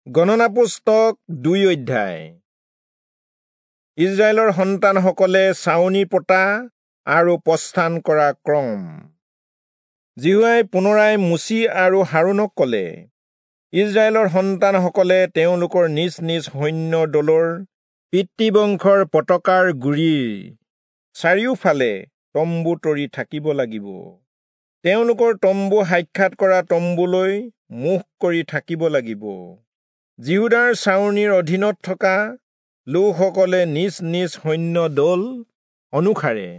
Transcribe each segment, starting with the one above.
গণনা পুস্তক 2 অধ্যায়। ইজৰাইলৰ সন্তানসকলে ছাউনি পতা আৰু প্ৰস্থান কৰা ক্ৰম। যিহোৱাই পুনৰাই মোচি আৰু হাৰোণক ক'লে, ইজৰাইলৰ সন্তানসকলে তেওঁলোকৰ নিজ নিজ সৈন্য দলৰ পিতৃবংশৰ পতাকাৰ গুৰিৰ চাৰিওফালে তম্বু তৰি থাকিব লাগিব। তেওঁলোকৰ তম্বু সাক্ষাৎ কৰা তম্বুলৈ মুখ কৰি থাকিব লাগিব। যিহূদাৰ ছাউনিৰ অধীনত থকা লোকসকলে নিজ নিজ সৈন্য দল অনুসাৰে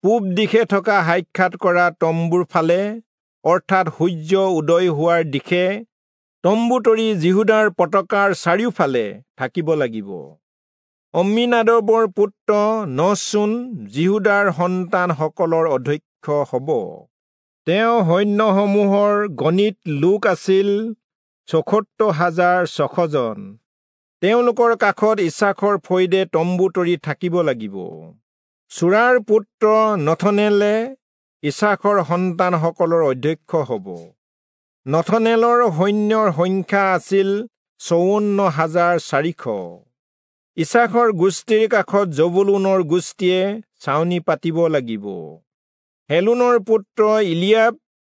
পূব দিশে থকা সাক্ষাৎ কৰা তম্বুৰ ফালে, অৰ্থাৎ সূৰ্য উদয় হোৱাৰ দিশে তম্বু তৰি যিহূদাৰ পতাকাৰ চাৰিওফালে থাকিব লাগিব। অম্মীনাদবৰ পুত্ৰ নহচোন যিহূদাৰ সন্তানসকলৰ অধ্যক্ষ হ'ব। তেওঁ সৈন্যসমূহৰ গণিত লোক আছিল ৭৪,৬০০ জন। তেওঁলোকৰ কাষত ইচাখৰ ফৈদে তম্বু তৰি থাকিব লাগিব। চূৰাৰ পুত্ৰ নথনেলে ইচাখৰ সন্তানসকলৰ অধ্যক্ষ হ'ব। নথনেলৰ সৈন্যৰ সংখ্যা আছিল ৫৪,৪০০। ইচাখৰ গোষ্ঠীৰ কাষত জবুলূনৰ গোষ্ঠীয়ে ছাউনি পাতিব লাগিব। হেলোনৰ পুত্ৰ ইলিয়াব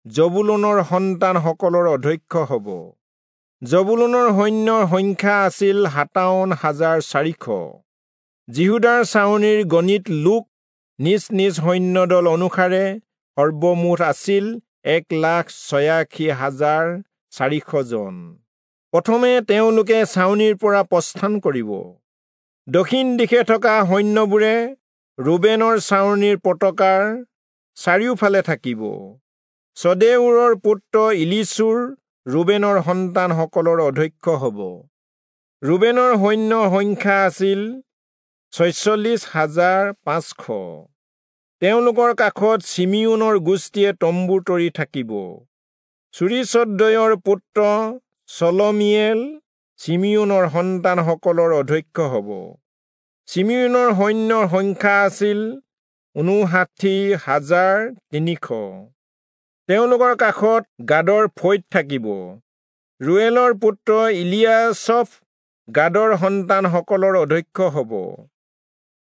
জবুলূনৰ সন্তানসকলৰ অধ্যক্ষ হ'ব। জবুলূনৰ সৈন্যৰ সংখ্যা আছিল ৫৭,৪০০। যিহূদাৰ ছাউনিৰ গণিত লোক নিজ নিজ সৈন্যদল অনুসাৰে সৰ্বমুঠ আছিল ১,৮৬,৪০০ জন। প্ৰথমে তেওঁলোকে ছাউনিৰ পৰা প্ৰস্থান কৰিব। দক্ষিণ দিশে থকা সৈন্যবোৰে ৰুবেনৰ ছাউনিৰ পতাকাৰ চাৰিওফালে থাকিব। চদেউৰৰ পুত্ৰ ইলিচুৰ ৰুবেনৰ সন্তানসকলৰ অধ্যক্ষ হ'ব। ৰুবেনৰ সৈন্যৰ সংখ্যা আছিল ৪৬,৫০০। তেওঁলোকৰ কাষত চিমিয়োনৰ গোষ্ঠীয়ে তম্বু তৰি থাকিব। চুৰীচদ্দয়ৰ পুত্ৰ চলমীয়েল চিমিয়োনৰ সন্তানসকলৰ অধ্যক্ষ হ'ব। চিমিয়োনৰ সৈন্যৰ সংখ্যা আছিল ৫৯,৩০০। তেওঁলোকৰ কাষত গাদৰ ফৈদ থাকিব। ৰুৱেলৰ পুত্ৰ ইলিয়াচফ গাদৰ সন্তানসকলৰ অধ্যক্ষ হ'ব।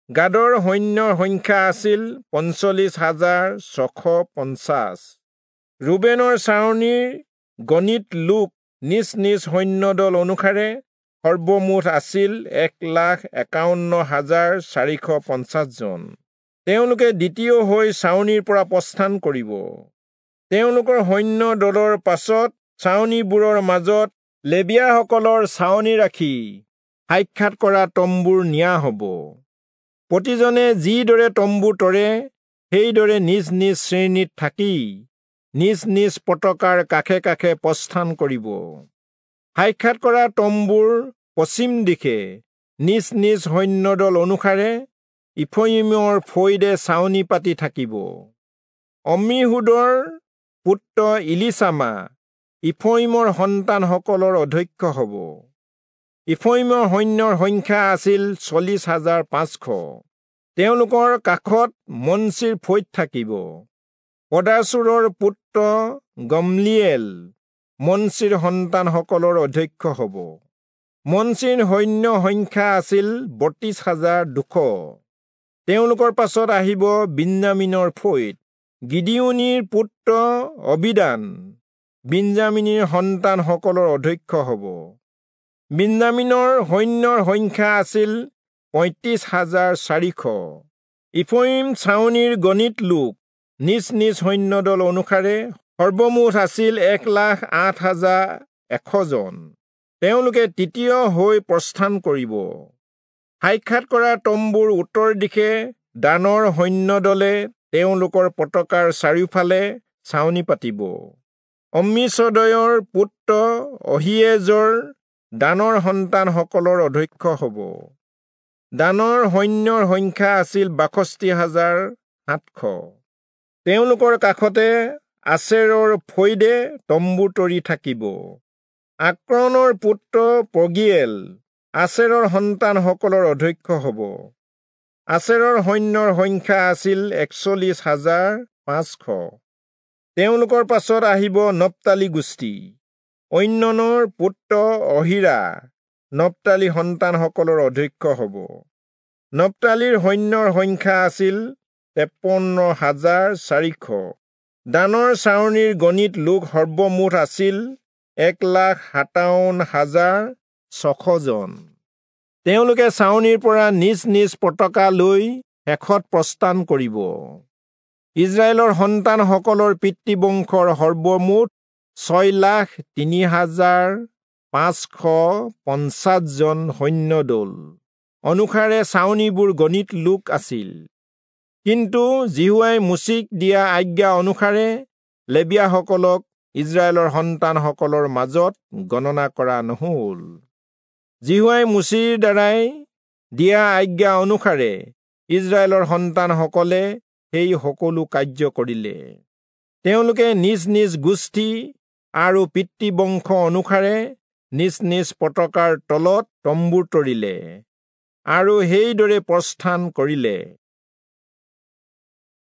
গাদৰ সৈন্যৰ সংখ্যা আছিল ৪৫,৬৫০। ৰুবেনৰ ছাউনিৰ গণিত লোক নিজ নিজ সৈন্যদল অনুসাৰে সৰ্বমুঠ আছিল ১,৫১,৪৫০ জন। তেওঁলোকে দ্বিতীয় হৈ ছাউনিৰ পৰা প্ৰস্থান কৰিব। তেওঁলোকৰ সৈন্য দলৰ পাছত ছাউনিবোৰৰ মাজত লেবীয়াসকলৰ ছাউনি ৰাখি সাক্ষাৎ কৰা তম্বুৰ নিয়া হ'ব। প্ৰতিজনে যিদৰে তম্বু তৰে সেইদৰে নিজ নিজ শ্ৰেণীত থাকি নিজ নিজ পতাকাৰ কাষে কাষে প্ৰস্থান কৰিব। সাক্ষাৎ কৰা তম্বুৰ পশ্চিম দিশে নিজ নিজ সৈন্যদল অনুসাৰে ইফ্ৰয়িমৰ ফৈদে ছাউনি পাতি থাকিব। অম্মীহূদৰ পুত্ৰ ইলিচামা ইফ্ৰয়িমৰ সন্তানসকলৰ অধ্যক্ষ হ'ব। ইফ্ৰয়িমৰ সৈন্যৰ সংখ্যা আছিল ৪০,৫০০। তেওঁলোকৰ কাষত মনচিৰ ফৈদ থাকিব। পদাচুৰৰ পুত্ৰ গমলিয়েল মনচিৰ সন্তানসকলৰ অধ্যক্ষ হ'ব। মনচিৰ সৈন্য সংখ্যা আছিল ৩২,২০০। তেওঁলোকৰ পাছত আহিব বিন্যামীনৰ ফৈদ। গিদিয়োনীৰ পুত্ৰ অবিদান বিন্যামীনীৰ সন্তানসকলৰ অধ্যক্ষ হ'ব। বিন্যামীনৰ সৈন্যৰ সংখ্যা আছিল ৩৫,৪০০। ইফ্ৰয়িম ছাউনিৰ গণিত লোক নিজ নিজ সৈন্যদল অনুসাৰে সৰ্বমুঠ আছিল ১,০৮,১০০ জন। তেওঁলোকে তৃতীয় হৈ প্ৰস্থান কৰিব। সাক্ষাৎ কৰা তম্বুৰ উত্তৰ দিশে দানৰ সৈন্যদলে তেওঁলোকৰ পতাকাৰ চাৰিওফালে ছাউনি পাতিব। অম্মীচদয়ৰ পুত্ৰ অহীয়েজৰ দানৰ সন্তানসকলৰ অধ্যক্ষ হ'ব। দানৰ সৈন্যৰ সংখ্যা আছিল ৬২,৭০০। তেওঁলোকৰ কাষতে আচেৰৰ ফৈদে তম্বু তৰি থাকিব। আক্ৰণৰ পুত্ৰ পগীয়েল আচেৰৰ সন্তানসকলৰ অধ্যক্ষ হ'ব। আচেৰৰ সৈন্যৰ সংখ্যা আছিল ৪১,৫০০। তেওঁলোকৰ পাছত আহিব নপ্তালী গোষ্ঠী। ঐননৰ পুত্ৰ অহীৰা নপ্তালী সন্তানসকলৰ অধ্যক্ষ হ'ব। নপ্তালীৰ সৈন্যৰ সংখ্যা আছিল ৫৩,৪০০। দানৰ ছাউনিৰ গণিত লোক সৰ্বমুঠ আছিল ১,৫৭,৬০০ জন। তেওঁলোকে ছাউনিৰ পৰা নিজ নিজ পতাকা লৈ শেষত প্ৰস্থান কৰিব। ইস্ৰায়েলৰ সন্তানসকলৰ পিতৃবংশৰ সৰ্বমুঠ ৬,০৩,৫৫০ জন সৈন্যদল অনুসাৰে ছাউনিবোৰ গণিত লোক আছিল। কিন্তু যিহোৱাই মোচিক দিয়া আজ্ঞা অনুসাৰে লেবীয়াসকলক ইস্ৰায়েলৰ সন্তানসকলৰ মাজত গণনা কৰা নহল। যিহোৱাই মোচিৰ দ্বাৰাই দিয়া আজ্ঞা অনুসাৰে ইস্ৰায়েলৰ সন্তানসকলে সেই সকলো কাৰ্য কৰিলে। তেওঁলোকে নিজ নিজ গোষ্ঠী আৰু পিতৃবংশ অনুসাৰে নিজ নিজ পতাকাৰ তলত তম্বু তৰিলে আৰু সেইদৰে প্ৰস্থান কৰিলে।